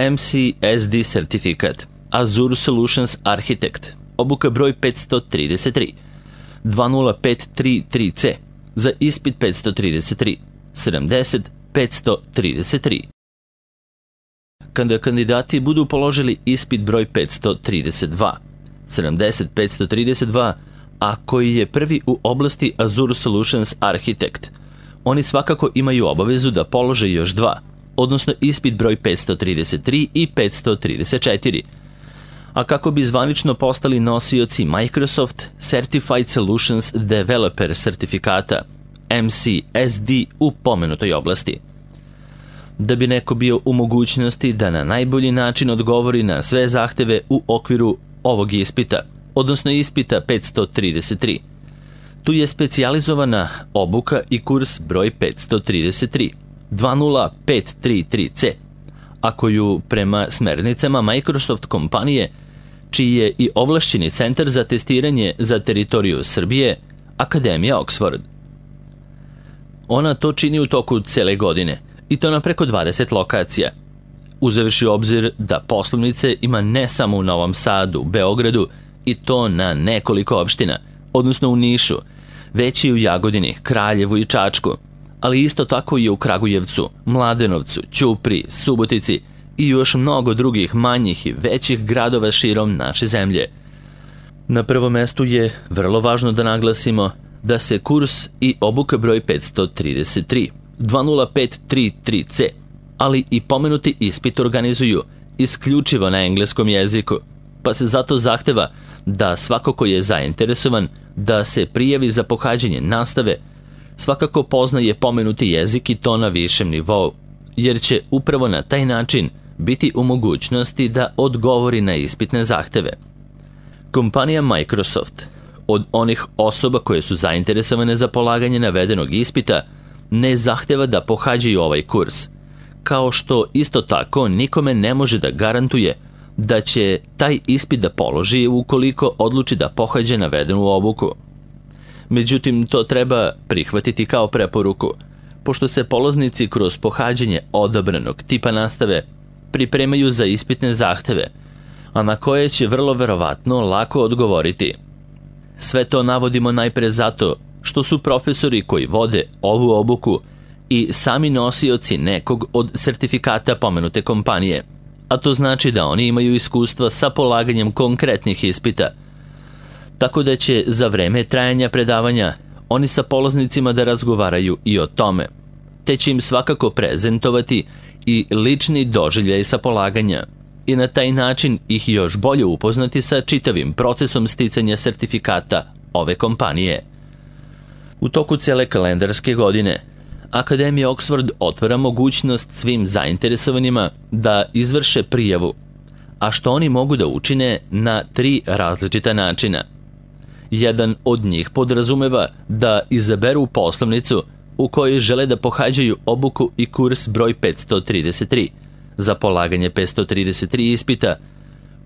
MCSD sertifikat, Azure Solutions Architect, obuka broj 533, 20533C, za ispit 533, 70 533. Kada kandidati budu položili ispit broj 532, 70 532, a koji je prvi u oblasti Azure Solutions Architect, oni svakako imaju obavezu da polože još dva, odnosno ispit broj 533 i 534. A kako bi zvanično postali nosioci Microsoft Certified Solutions Developer sertifikata, MCSD, u pomenutoj oblasti. Da bi neko bio u mogućnosti da na najbolji način odgovori na sve zahteve u okviru ovog ispita, odnosno ispita 533. Tu je specijalizovana obuka i kurs broj 533, 20533C, a koju prema smernicama Microsoft kompanije, čiji je i ovlašćeni centar za testiranje za teritoriju Srbije, Akademija Oxford. Ona to čini u toku cele godine, i to na preko 20 lokacija, uzevši u obzir da poslovnice ima ne samo u Novom Sadu, Beogradu, i to na nekoliko opština, odnosno u Nišu, već i u Jagodini, Kraljevu i Čačku, ali isto tako i u Kragujevcu, Mladenovcu, Ćupriji, Subotici i još mnogo drugih manjih i većih gradova širom naše zemlje. Na prvom mestu je vrlo važno da naglasimo da se kurs i obuka broj 533, 20533C, ali i pomenuti ispit organizuju isključivo na engleskom jeziku, pa se zato zahteva da svako ko je zainteresovan da se prijavi za pohađanje nastave svakako poznaje pomenuti jezik i to na višem nivou, jer će upravo na taj način biti u mogućnosti da odgovori na ispitne zahteve. Kompanija Microsoft od onih osoba koje su zainteresovane za polaganje navedenog ispita ne zahteva da pohađaju ovaj kurs, kao što isto tako nikome ne može da garantuje da će taj ispit da položi ukoliko odluči da pohađe navedenu obuku. Međutim, to treba prihvatiti kao preporuku, pošto se polaznici kroz pohađanje odabranog tipa nastave pripremaju za ispitne zahteve, a na koje će vrlo verovatno lako odgovoriti. Sve to navodimo najpre zato što su profesori koji vode ovu obuku i sami nosioci nekog od sertifikata pomenute kompanije, a to znači da oni imaju iskustva sa polaganjem konkretnih ispita, tako da će za vreme trajanja predavanja oni sa polaznicima da razgovaraju i o tome, te će im svakako prezentovati i lični doživljaj sa polaganja i na taj način ih još bolje upoznati sa čitavim procesom sticanja sertifikata ove kompanije. U toku cele kalendarske godine Akademija Oxford otvara mogućnost svim zainteresovanima da izvrše prijavu, a što oni mogu da učine na 3 različita načina. Jedan od njih podrazumeva da izaberu poslovnicu u kojoj žele da pohađaju obuku i kurs broj 533. Za polaganje 533 ispita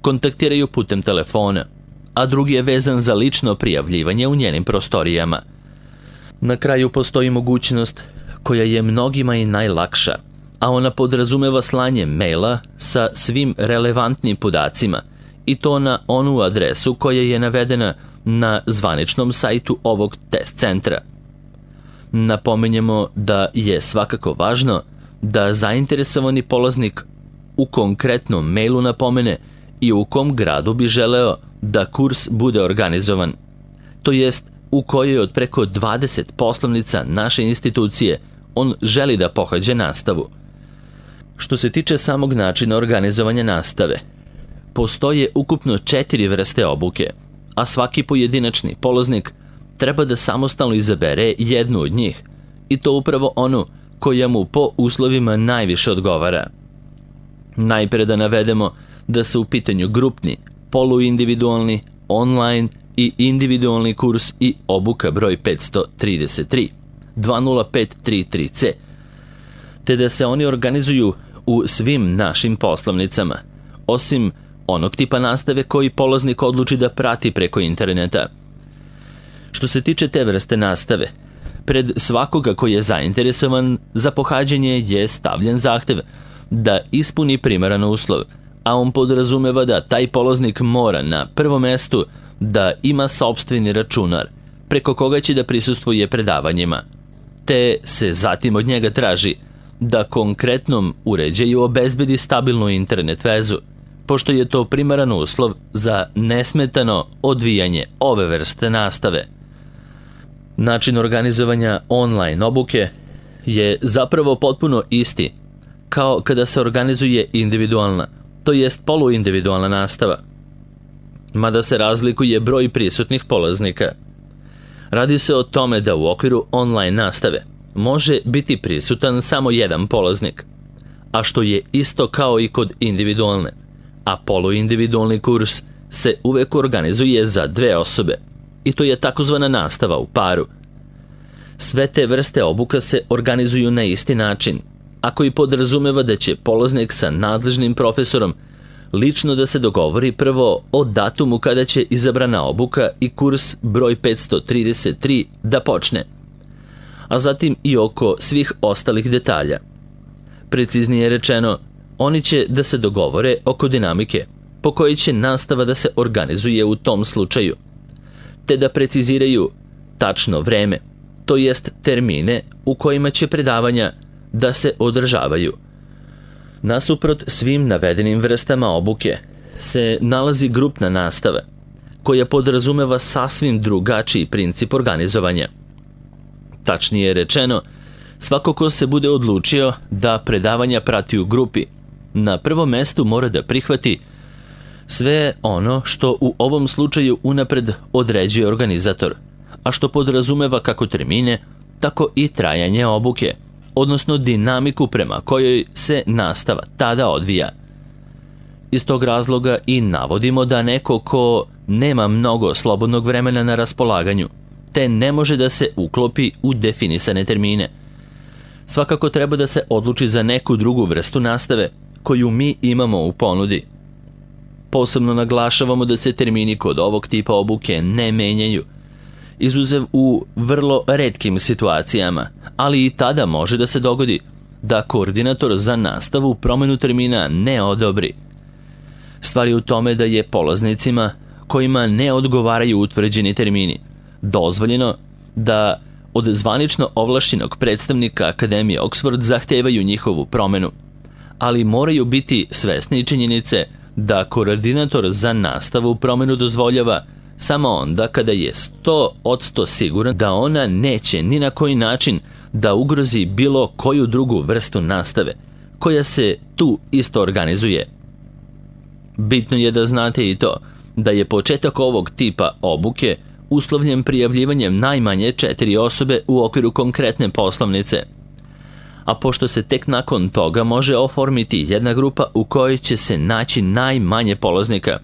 kontaktiraju putem telefona, a drugi je vezan za lično prijavljivanje u njenim prostorijama. Na kraju postoji mogućnost koja je mnogima i najlakša, a ona podrazumeva slanje maila sa svim relevantnim podacima i to na onu adresu koja je navedena na zvaničnom sajtu ovog test centra. Napominjemo da je svakako važno da zainteresovani polaznik u konkretnom mailu napomene i u kom gradu bi želeo da kurs bude organizovan, to jest u kojoj od preko 20 poslovnica naše institucije on želi da pohađe nastavu. Što se tiče samog načina organizovanja nastave, postoje ukupno 4 vrste obuke, a svaki pojedinačni polaznik treba da samostalno izabere jednu od njih, i to upravo onu koja mu po uslovima najviše odgovara. Najpre da navedemo da su u pitanju grupni, poluindividualni, online i individualni kurs i obuka broj 533, 20533C, te da se oni organizuju u svim našim poslovnicama, osim onog tipa nastave koji polaznik odluči da prati preko interneta. Što se tiče te vrste nastave, pred svakoga koji je zainteresovan za pohađanje je stavljen zahtev da ispuni primaran uslov, a on podrazumeva da taj polaznik mora na prvom mestu da ima sopstveni računar, preko koga će da prisustvuje predavanjima, te se zatim od njega traži da konkretnom uređaju obezbedi stabilnu internet vezu, pošto je to primaran uslov za nesmetano odvijanje ove vrste nastave. Način organizovanja online obuke je zapravo potpuno isti kao kada se organizuje individualna, to jest poluindividualna nastava, mada se razlikuje broj prisutnih polaznika. Radi se o tome da u okviru online nastave može biti prisutan samo jedan polaznik, a što je isto kao i kod individualne, a poluindividualni kurs se uvek organizuje za 2 osobe, i to je takozvana nastava u paru. Sve te vrste obuka se organizuju na isti način, a koji podrazumeva da će polaznik sa nadležnim profesorom lično da se dogovori prvo o datumu kada će izabrana obuka i kurs broj 533 da počne, a zatim i oko svih ostalih detalja. Preciznije rečeno, oni će da se dogovore oko dinamike po kojoj će nastava da se organizuje u tom slučaju, te da preciziraju tačno vreme, to jest termine u kojima će predavanja da se održavaju. Nasuprot svim navedenim vrstama obuke se nalazi grupna nastava, koja podrazumeva sasvim drugačiji princip organizovanja. Tačnije rečeno, svako ko se bude odlučio da predavanja prati u grupi, na prvom mestu mora da prihvati sve ono što u ovom slučaju unapred određuje organizator, a što podrazumeva kako termine, tako i trajanje obuke, odnosno dinamiku prema kojoj se nastava tada odvija. Iz tog razloga i navodimo da neko ko nema mnogo slobodnog vremena na raspolaganju, te ne može da se uklopi u definisane termine, svakako treba da se odluči za neku drugu vrstu nastave koju mi imamo u ponudi. Posebno naglašavamo da se termini kod ovog tipa obuke ne menjaju, izuzev u vrlo retkim situacijama, ali i tada može da se dogodi da koordinator za nastavu promenu termina ne odobri. Stvar je u tome da je polaznicima kojima ne odgovaraju utvrđeni termini dozvoljeno da od zvanično ovlašćenog predstavnika Akademije Oxford zahtevaju njihovu promenu, ali moraju biti svesni činjenice da koordinator za nastavu promenu dozvoljava samo onda kada je 100% siguran da ona neće ni na koji način da ugrozi bilo koju drugu vrstu nastave koja se tu isto organizuje. Bitno je da znate i to da je početak ovog tipa obuke uslovljen prijavljivanjem najmanje 4 osobe u okviru konkretne poslovnice, a pošto se tek nakon toga može oformiti jedna grupa u kojoj će se naći najmanje polaznika,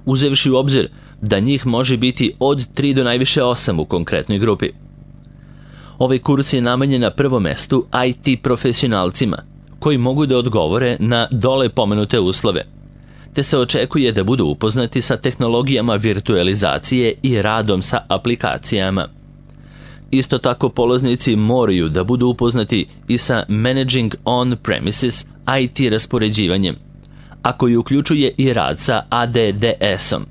uzevši u obzir da njih može biti od 3 do najviše 8 u konkretnoj grupi. Ovaj kurs je namenjen na prvom mestu IT profesionalcima, koji mogu da odgovore na dole pomenute uslove, te se očekuje da budu upoznati sa tehnologijama virtualizacije i radom sa aplikacijama. Isto tako polaznici moraju da budu upoznati i sa Managing On-Premises IT raspoređivanjem, a koji uključuje i rad sa ADDS-om.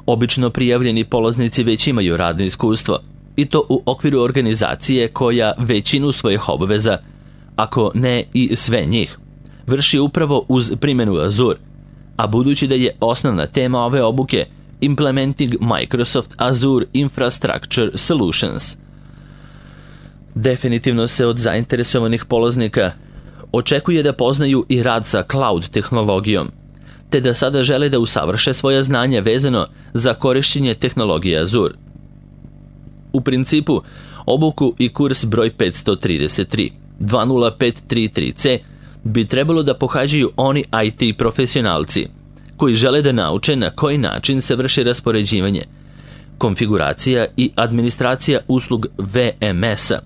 Obično prijavljeni polaznici već imaju radno iskustvo, i to u okviru organizacije koja većinu svojih obaveza, ako ne i sve njih, vrši upravo uz primjenu Azure, a budući da je osnovna tema ove obuke Implementing Microsoft Azure Infrastructure Solutions. Definitivno se od zainteresovanih polaznika očekuje da poznaju i rad sa cloud tehnologijom, te da sada žele da usavrše svoja znanja vezano za korišćenje tehnologije Azure. U principu, obuku i kurs broj 533, 20533C bi trebalo da pohađaju oni IT profesionalci koji žele da nauče na koji način se vrši raspoređivanje, konfiguracija i administracija uslug VMS-a,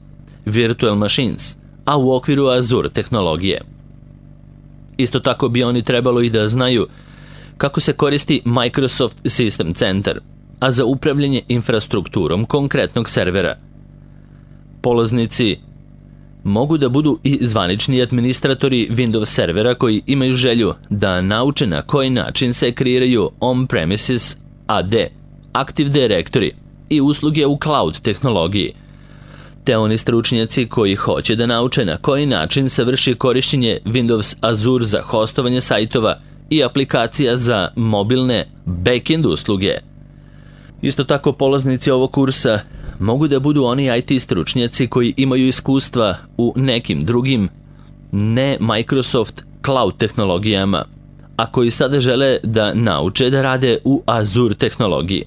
Virtual Machines, a u okviru Azure tehnologije. Isto tako bi oni trebalo i da znaju kako se koristi Microsoft System Center, a za upravljanje infrastrukturom konkretnog servera. Polaznici mogu da budu i zvanični administratori Windows servera koji imaju želju da nauče na koji način se kreiraju on-premises AD, Active Directory i usluge u cloud tehnologiji, te oni stručnjaci koji hoće da nauče na koji način se vrši korišćenje Windows Azure za hostovanje sajtova i aplikacija za mobilne backend usluge. Isto tako polaznici ovog kursa mogu da budu oni IT stručnjaci koji imaju iskustva u nekim drugim ne Microsoft cloud tehnologijama, a koji sada žele da nauče da rade u Azure tehnologiji.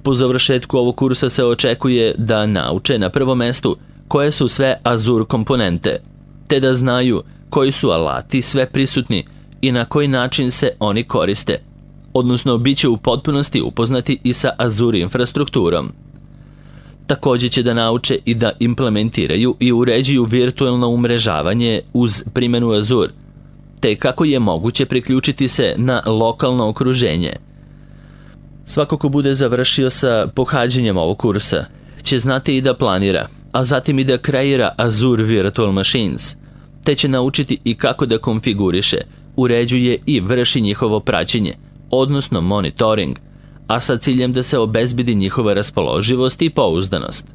Po završetku ovog kursa se očekuje da nauče na prvom mestu koje su sve Azure komponente, te da znaju koji su alati sve prisutni i na koji način se oni koriste, odnosno bit će u potpunosti upoznati i sa Azure infrastrukturom. Također će da nauče i da implementiraju i uređuju virtualno umrežavanje uz primjenu Azure, te kako je moguće priključiti se na lokalno okruženje. Svako ko bude završio sa pohađanjem ovog kursa će znati i da planira, a zatim i da kreira Azure Virtual Machines, te će naučiti i kako da konfiguriše, uređuje i vrši njihovo praćenje, odnosno monitoring, a sa ciljem da se obezbedi njihova raspoloživost i pouzdanost.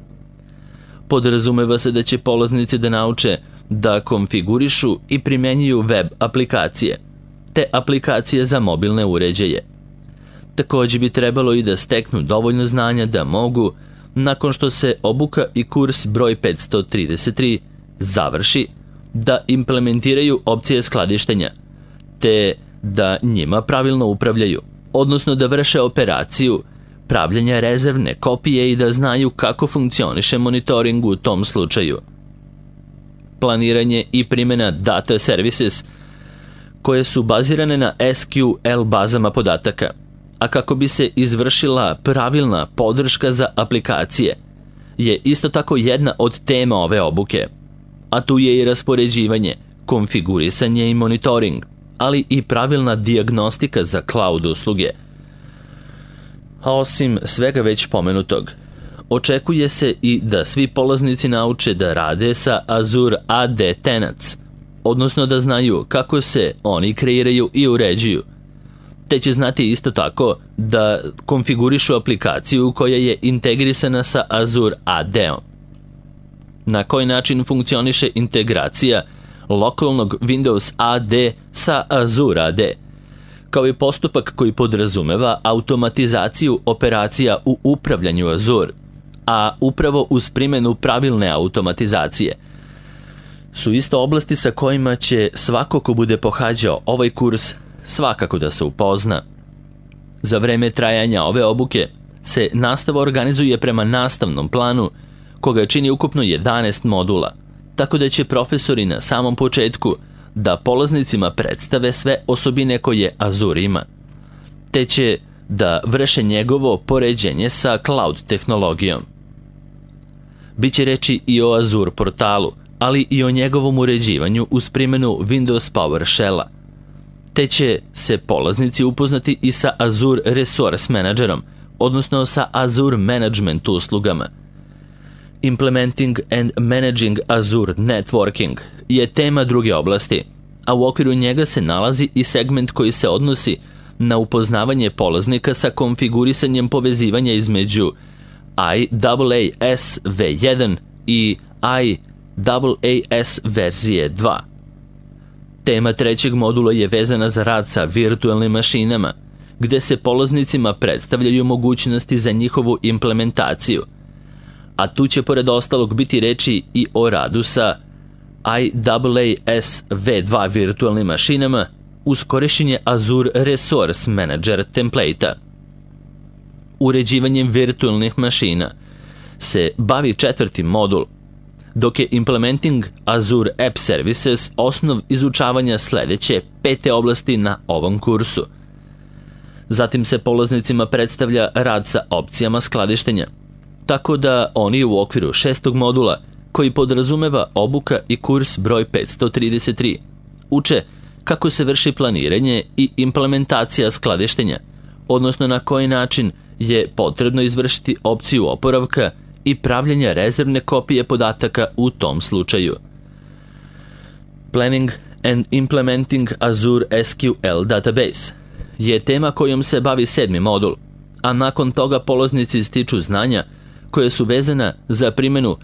Podrazumeva se da će polaznici da nauče da konfigurišu i primjenjuju web aplikacije, te aplikacije za mobilne uređaje. Također bi trebalo i da steknu dovoljno znanja da mogu, nakon što se obuka i kurs broj 533 završi, da implementiraju opcije skladištenja, te da njima pravilno upravljaju, odnosno da vrše operaciju pravljenja rezervne kopije i da znaju kako funkcioniše monitoring u tom slučaju. Planiranje i primjena data services koje su bazirane na SQL bazama podataka, a kako bi se izvršila pravilna podrška za aplikacije, je isto tako jedna od tema ove obuke, a tu je i raspoređivanje, konfigurisanje i monitoring, ali i pravilna dijagnostika za cloud usluge. A osim svega već pomenutog, očekuje se i da svi polaznici nauče da rade sa Azure AD Tenants, odnosno da znaju kako se oni kreiraju i uređuju, te će znati isto tako da konfigurišu aplikaciju koja je integrisana sa Azure AD-om. Na koji način funkcioniše integracija lokalnog Windows AD sa Azure AD, kao i postupak koji podrazumeva automatizaciju operacija u upravljanju Azure, a upravo uz primjenu pravilne automatizacije, su isto oblasti sa kojima će svako ko bude pohađao ovaj kurs svakako da se upozna. Za vreme trajanja ove obuke se nastava organizuje prema nastavnom planu koga čini ukupno 11 modula, tako da će profesori na samom početku da polaznicima predstave sve osobine koje Azure ima, te će da vrše njegovo poređenje sa cloud tehnologijom. Biće reči i o Azure portalu, ali i o njegovom uređivanju uz primjenu Windows PowerShell-a, te će se polaznici upoznati i sa Azure Resource Managerom, odnosno sa Azure Management uslugama. Implementing and Managing Azure Networking je tema druge oblasti, a u okviru njega se nalazi i segment koji se odnosi na upoznavanje polaznika sa konfigurisanjem povezivanja između IaaS V1 i IaaS verzije 2. Tema trećeg modula je vezana za rad sa virtualnim mašinama, gde se polaznicima predstavljaju mogućnosti za njihovu implementaciju, a tu će pored ostalog biti reči i o radu sa IaaS V2 virtualnim mašinama uz korišćenje Azure Resource Manager template-a. Uređivanjem virtualnih mašina se bavi četvrti modul, dok je Implementing Azure App Services osnov izučavanja sljedeće 5. oblasti na ovom kursu. Zatim se polaznicima predstavlja rad sa opcijama skladištenja, tako da oni u okviru 6. modula, koji podrazumeva obuka i kurs broj 533, uče kako se vrši planiranje i implementacija skladištenja, odnosno na koji način je potrebno izvršiti opciju oporavka i pravljenja rezervne kopije podataka u tom slučaju. Planning and Implementing Azure SQL Database je tema kojom se bavi 7. modul, a nakon toga polaznici stiču znanja koje su vezana za primjenu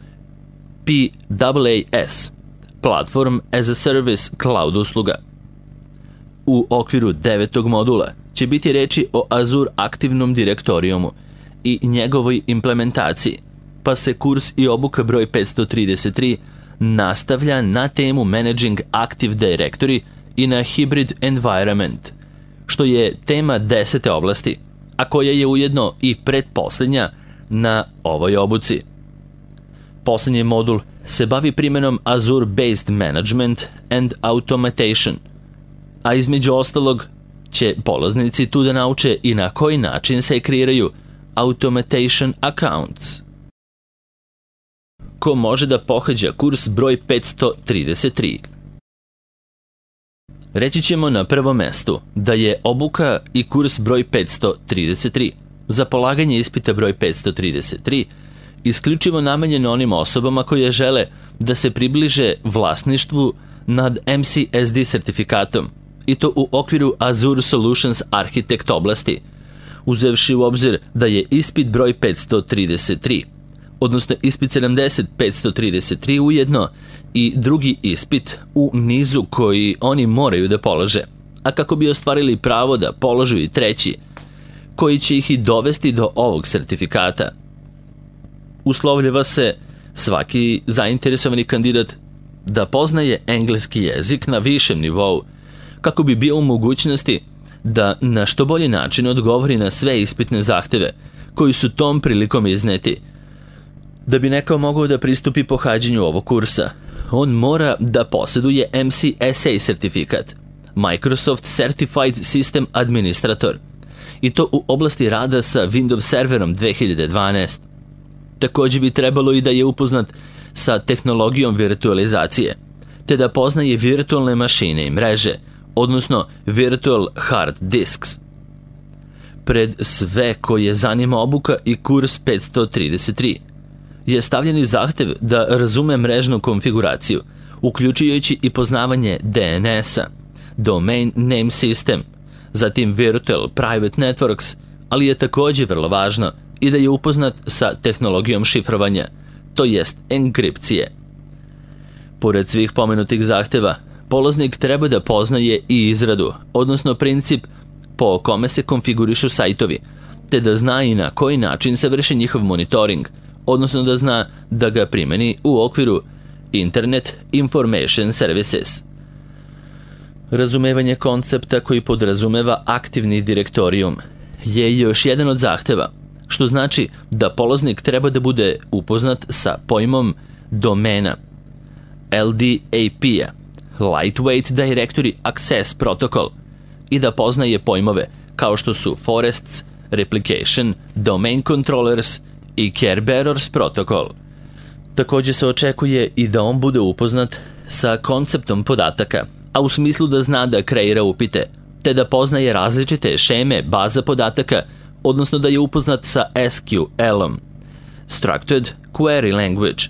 PaaS, Platform as a Service Cloud usluga. U okviru 9. modula će biti reči o Azure aktivnom direktorijumu i njegovoj implementaciji, pa se kurs i obuka broj 533 nastavlja na temu Managing Active Directory i na Hybrid Environment, što je tema 10. oblasti, a koja je ujedno i pretposljednja na ovoj obuci. Posljednji modul se bavi primjenom Azure-based Management and Automation, a između ostalog će polaznici tu da nauče i na koji način se kreiraju Automation Accounts. Ko može da pohađa kurs broj 533? Reći ćemo na prvom mestu da je obuka i kurs broj 533 za polaganje ispita broj 533 isključivo namenjen onim osobama koje žele da se približe vlasništvu nad MCSD sertifikatom, i to u okviru Azure Solutions Architect oblasti, uzevši u obzir da je ispit broj 533, odnosno ispit 533 ujedno i drugi ispit u nizu koji oni moraju da polože, a kako bi ostvarili pravo da položu i treći, koji će ih i dovesti do ovog sertifikata. Uslovljava se svaki zainteresovani kandidat da poznaje engleski jezik na višem nivou, kako bi bio u mogućnosti da na što bolji način odgovori na sve ispitne zahteve koji su tom prilikom izneti. Da bi neko mogao da pristupi pohađanju ovog kursa, on mora da posjeduje MCSA sertifikat, Microsoft Certified System Administrator, i to u oblasti rada sa Windows Serverom 2012. Također bi trebalo i da je upoznat sa tehnologijom virtualizacije, te da poznaje virtualne mašine i mreže, odnosno Virtual Hard Disks. Pred sve koje zanima obuka i kurs 533 je stavljeni zahtev da razume mrežnu konfiguraciju, uključujući i poznavanje DNS-a, Domain Name System, zatim Virtual Private Networks, ali je također vrlo važno i da je upoznat sa tehnologijom šifrovanja, to jest enkripcije. Pored svih pomenutih zahteva, polaznik treba da poznaje i izradu, odnosno princip po kome se konfigurišu sajtovi, te da zna i na koji način se vrši njihov monitoring, odnosno da zna da ga primeni u okviru Internet Information Services. Razumevanje koncepta koji podrazumeva aktivni direktorijum je još jedan od zahteva, što znači da polaznik treba da bude upoznat sa pojmom domena, LDAP-a, Lightweight Directory Access Protocol, i da poznaje pojmove kao što su Forests, Replication, Domain Controllers i Kerberos Protocol. Također se očekuje i da on bude upoznat sa konceptom podataka, a u smislu da zna da kreira upite, te da poznaje različite šeme baza podataka, odnosno da je upoznat sa SQL-om, Structured Query Language.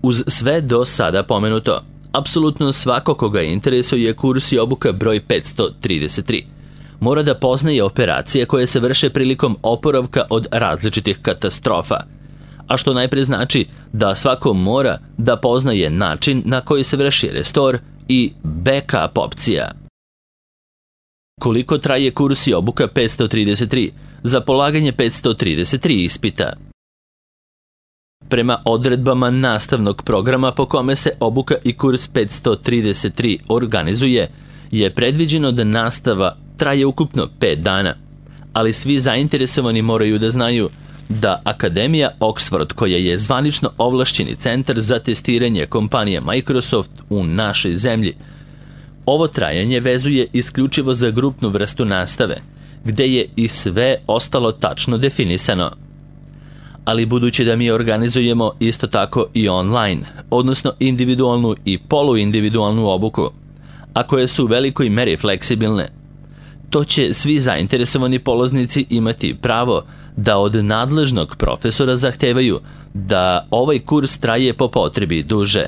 Uz sve do sada pomenuto, apsolutno svako koga interesuje kurs i obuka broj 533 mora da poznaje operacije koje se vrše prilikom oporavka od različitih katastrofa, a što najpre znači da svako mora da poznaje način na koji se vrši restore i backup opcija. Koliko traje kurs i obuka 533 za polaganje 533 ispita? Prema odredbama nastavnog programa po kome se obuka i kurs 533 organizuje, je predviđeno da nastava traje ukupno 5 dana, ali svi zainteresovani moraju da znaju da Akademija Oxford, koja je zvanično ovlašćeni centar za testiranje kompanije Microsoft u našoj zemlji, ovo trajanje vezuje isključivo za grupnu vrstu nastave, gde je i sve ostalo tačno definisano. Ali budući da mi organizujemo isto tako i online, odnosno individualnu i poluindividualnu obuku, a koje su u velikoj meri fleksibilne, to će svi zainteresovani polaznici imati pravo da od nadležnog profesora zahtevaju da ovaj kurs traje po potrebi duže.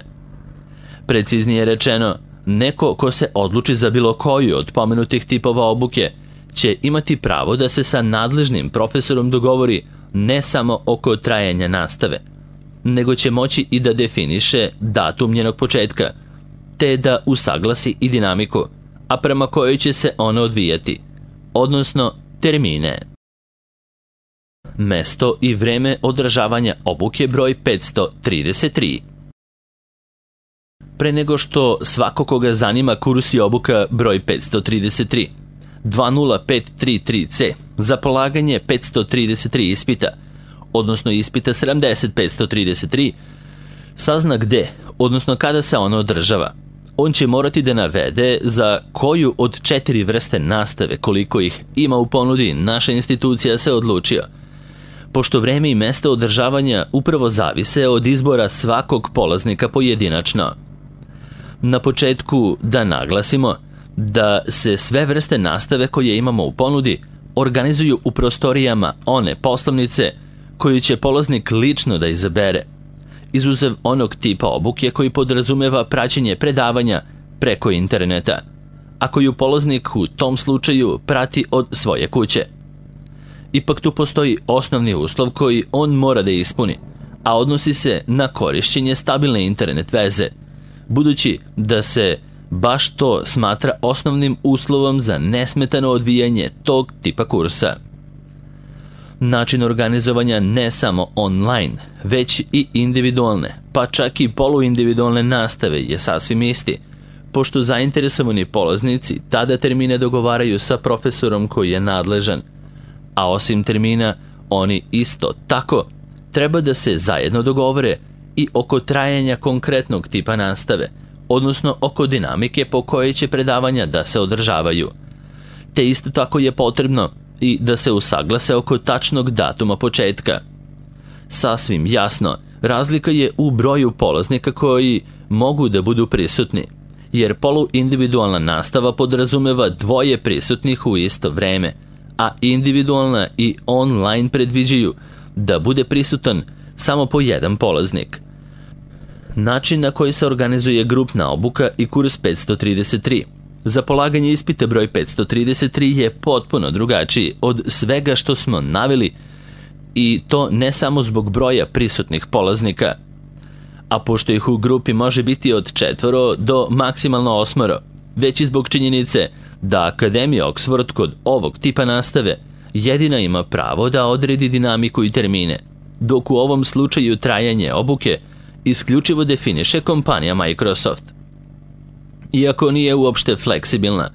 Preciznije rečeno, neko ko se odluči za bilo koju od pomenutih tipova obuke će imati pravo da se sa nadležnim profesorom dogovori ne samo oko trajanja nastave, nego će moći i da definiše datum njenog početka, te da usaglasi i dinamiku, a prema kojoj će se ona odvijati, odnosno termine. Mesto i vreme održavanja obuke broj 533. Pre nego što svako koga zanima kurs i obuka broj 533, 20533C za polaganje 533 ispita, odnosno ispita 70533, sazna gde, odnosno kada se ono održava. On će morati da navede za koju od 4 vrste nastave, koliko ih ima u ponudi, naša institucija se odlučio, pošto vreme i mesto održavanja upravo zavise od izbora svakog polaznika pojedinačno. Na početku da naglasimo da se sve vrste nastave koje imamo u ponudi organizuju u prostorijama one poslovnice koju će polaznik lično da izabere, izuzev onog tipa obuke koji podrazumeva praćenje predavanja preko interneta, a koju polaznik u tom slučaju prati od svoje kuće. Ipak tu postoji osnovni uslov koji on mora da ispuni, a odnosi se na korišćenje stabilne internet veze, budući da se baš to smatra osnovnim uslovom za nesmetano odvijanje tog tipa kursa. Način organizovanja ne samo online, već i individualne, pa čak i poluindividualne nastave je sasvim isti, pošto zainteresovani polaznici tada termine dogovaraju sa profesorom koji je nadležan, a osim termina, oni isto tako treba da se zajedno dogovore i oko trajanja konkretnog tipa nastave, odnosno oko dinamike po kojoj će predavanja da se održavaju. Te isto tako je potrebno i da se usaglase oko tačnog datuma početka. Sasvim jasno, razlika je u broju polaznika koji mogu da budu prisutni, jer poluindividualna nastava podrazumeva 2 prisutnih u isto vreme, a individualna i online predviđaju da bude prisutan samo po jedan polaznik. Način na koji se organizuje grupna obuka i kurs 533 za polaganje ispita broj 533 je potpuno drugačiji od svega što smo naveli, i to ne samo zbog broja prisutnih polaznika, a pošto ih u grupi može biti od 4 do maksimalno 8, već i zbog činjenice da Akademija Oxford kod ovog tipa nastave jedina ima pravo da odredi dinamiku i termine, dok u ovom slučaju trajanje obuke isključivo definiše kompanija Microsoft. Iako nije uopšte fleksibilna,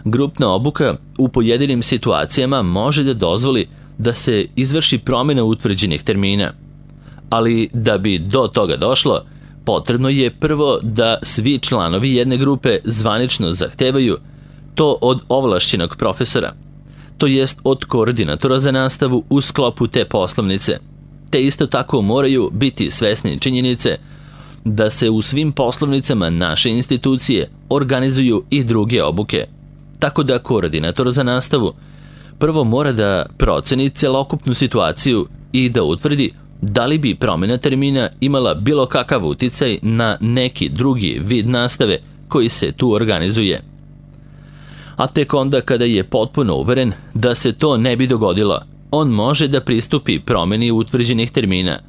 grupna obuka u pojedinim situacijama može da dozvoli da se izvrši promjena utvrđenih termina. Ali da bi do toga došlo, potrebno je prvo da svi članovi jedne grupe zvanično zahtevaju to od ovlašćenog profesora, to jest od koordinatora za nastavu u sklopu te poslovnice, te isto tako moraju biti svesni činjenice da se u svim poslovnicama naše institucije organizuju i druge obuke, tako da koordinator za nastavu prvo mora da proceni celokupnu situaciju i da utvrdi da li bi promjena termina imala bilo kakav uticaj na neki drugi vid nastave koji se tu organizuje. A tek onda kada je potpuno uveren da se to ne bi dogodilo, on može da pristupi promjeni utvrđenih termina,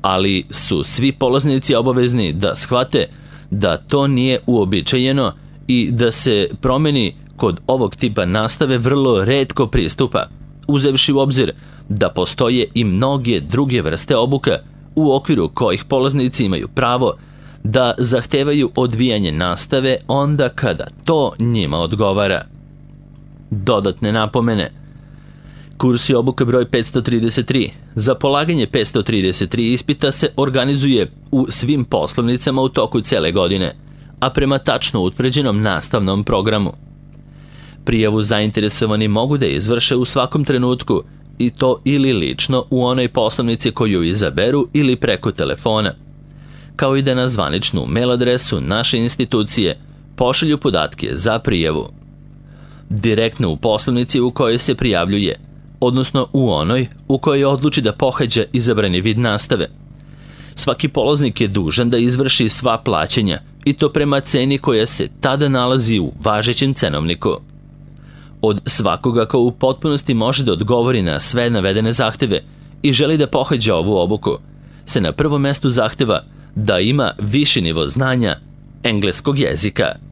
ali su svi polaznici obavezni da shvate da to nije uobičajeno i da se promjeni kod ovog tipa nastave vrlo retko pristupa, uzevši u obzir da postoje i mnoge druge vrste obuka u okviru kojih polaznici imaju pravo da zahtevaju odvijanje nastave onda kada to njima odgovara. Dodatne napomene. Kurs i obuka broj 533 za polaganje 533 ispita se organizuje u svim poslovnicama u toku cele godine, a prema tačno utvrđenom nastavnom programu. Prijavu zainteresovani mogu da izvrše u svakom trenutku, i to ili lično u onoj poslovnici koju izaberu ili preko telefona, kao i da na zvaničnu mail adresu naše institucije pošalju podatke za prijavu. Direktno u poslovnici u kojoj se prijavljuje, odnosno u onoj u kojoj odluči da pohađa izabrani vid nastave, Svaki polaznik je dužan da izvrši sva plaćanja i to prema ceni koja se tada nalazi u važećem cenovniku. Od svakoga ko u potpunosti može da odgovori na sve navedene zahteve i želi da pohađa ovu obuku, se na prvom mestu zahteva da ima viši nivo znanja engleskog jezika.